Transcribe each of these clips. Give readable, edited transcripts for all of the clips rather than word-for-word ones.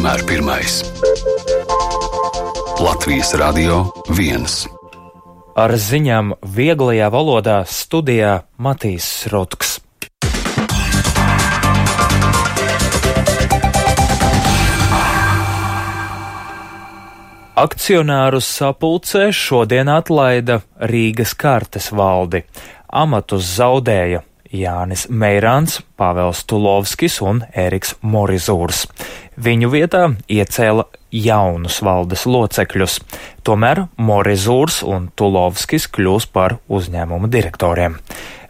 vienmēr pirmais. Latvijas Radio 1. Ar ziņām vieglajā valodā studijā Matīs Rutks. Akcionāru sapulcē šodien atlaida Rīgas kartes valdi. Amatus zaudēja Jānis Meirāns, Pāvels Tulovskis un Eriks Morizūrs. Viņu vietā iecēla jaunus valdes locekļus. Tomēr Morizūrs un Tulovskis kļūs par uzņēmumu direktoriem.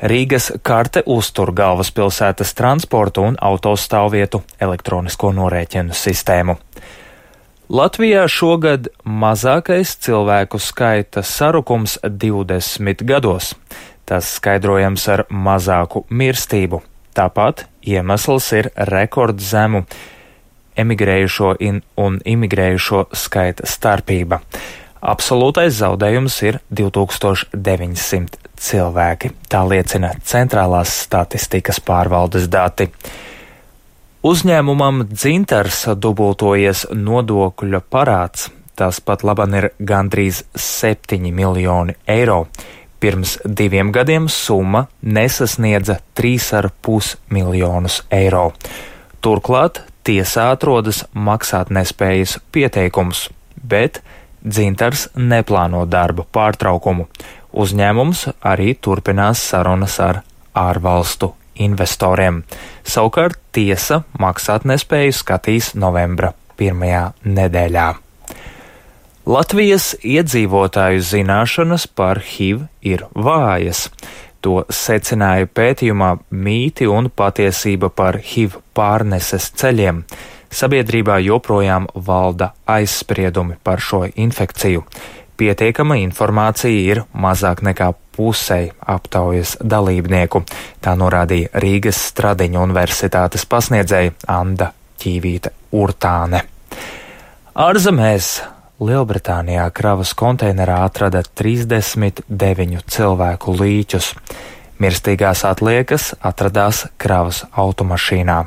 Rīgas karte uztur galvaspilsētas transportu un autostāvvietu elektronisko norēķinu sistēmu. Latvijā šogad mazākais cilvēku skaita sarukums 20 gados. Tas skaidrojams ar mazāku mirstību. Tāpat iemesls ir rekordzemu emigrējušo un imigrējušo skaita starpība. Absolūtais zaudējums ir 2900 cilvēki. Tā liecina Centrālās statistikas pārvaldes dati. Uzņēmumam Dzintars dubultojies nodokļu parāds. Tas pat laban ir gandrīz 7 miljoni eiro. Pirms 2 gadiem summa nesasniedza 3,5 miljonus eiro. Turklāt tiesā atrodas maksātnespējas pieteikums, bet Dzintars neplāno darba pārtraukumu. Uzņēmums arī turpinās sarunas ar ārvalstu investoriem. Savukārt tiesa maksātnespēju skatīs novembra 1. nedēļā. Latvijas iedzīvotāju zināšanas par HIV ir vājas. To secināja pētījumā Mīti un patiesība par HIV pārneses ceļiem. Sabiedrībā joprojām valda aizspriedumi par šo infekciju. Pietiekama informācija ir mazāk nekā pusei aptaujas dalībnieku. Tā norādīja Rīgas Stradiņu universitātes pasniedzēja Anda Ķīvīte Urtāne. Ārzemēs Lielbritānijā kravas konteinerā atrada 39 cilvēku līķus. Mirstīgās atliekas atradās kravas automašīnā.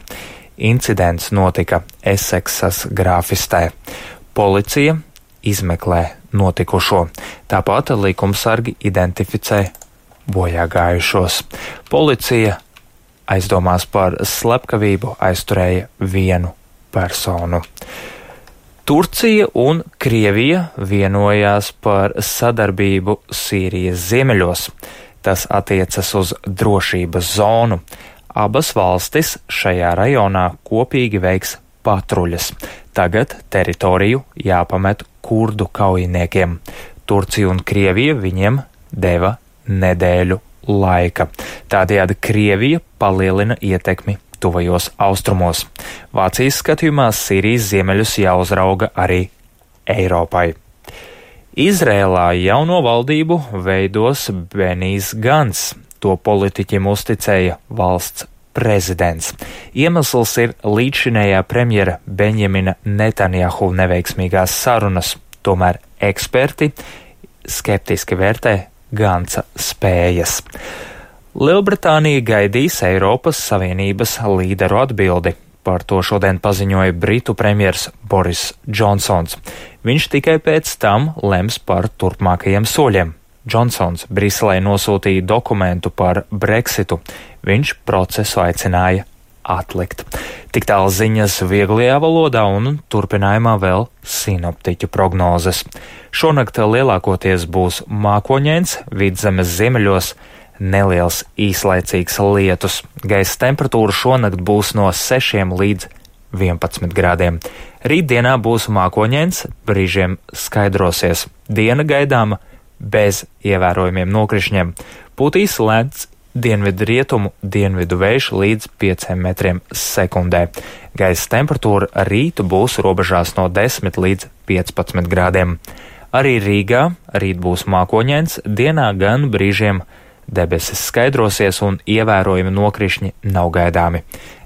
Incidents notika Eseksas grāfistē. Policija izmeklē notikušo. Tāpat likumsargi identificē bojāgājušos. Policija aizdomās par slepkavību aizturēja 1 personu. Turcija un Krievija vienojās par sadarbību Sīrijas ziemeļos. Tas attiecas uz drošības zonu. Abas valstis šajā rajonā kopīgi veiks patruļas. Tagad teritoriju jāpamet kurdu kaujiniekiem. Turcija un Krievija viņiem deva nedēļu laika. Tādējādi Krievija palielina ietekmi tuvajos austrumos. Vācijas skatījumā Sīrijas ziemeļus jāuzrauga arī Eiropai. Izrēlā jauno valdību veidos Benijs Gants. To politiķim uzticēja valsts prezidents. Iemesls ir līdzšinējā premjera Benjamina Netanjahu neveiksmīgās sarunas. Tomēr eksperti skeptiski vērtē Gantsa spējas. Lielbritānija gaidīs Eiropas Savienības līderu atbildi. Par to šodien paziņoja Britu premjers Boris Džonsons. Viņš tikai pēc tam lems par turpmākajiem soļiem. Džonsons Briselē nosūtīja dokumentu par Brexitu. Viņš procesu aicināja atlikt. Tik tālu ziņas vieglajā valodā un turpinājumā vēl sinoptiķu prognozes. Šonakt lielākoties būs mākoņains, Vidzemes ziemeļos neliels īslaicīgs lietus. Gaisa temperatūra šonakt būs no 6 līdz 11 grādiem. Rītdienā būs mākoņains, brīžiem skaidrosies. Diena gaidāma bez ievērojumiem nokrišņiem. Pūtīs lēns dienvidu rietumu dienvidu vējš līdz 5 metriem sekundē. Gaisa temperatūra rītu būs robežās no 10 līdz 15 grādiem. Arī Rīgā rīt būs mākoņains, dienā gan brīžiem debesis skaidrosies un ievērojami nokrišņi nav gaidāmi.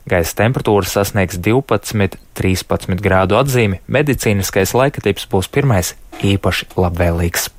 Gaisa temperatūra sasniegs 12–13 grādu atzīmi, medicīniskais laikatips būs pirmais īpaši labvēlīgs.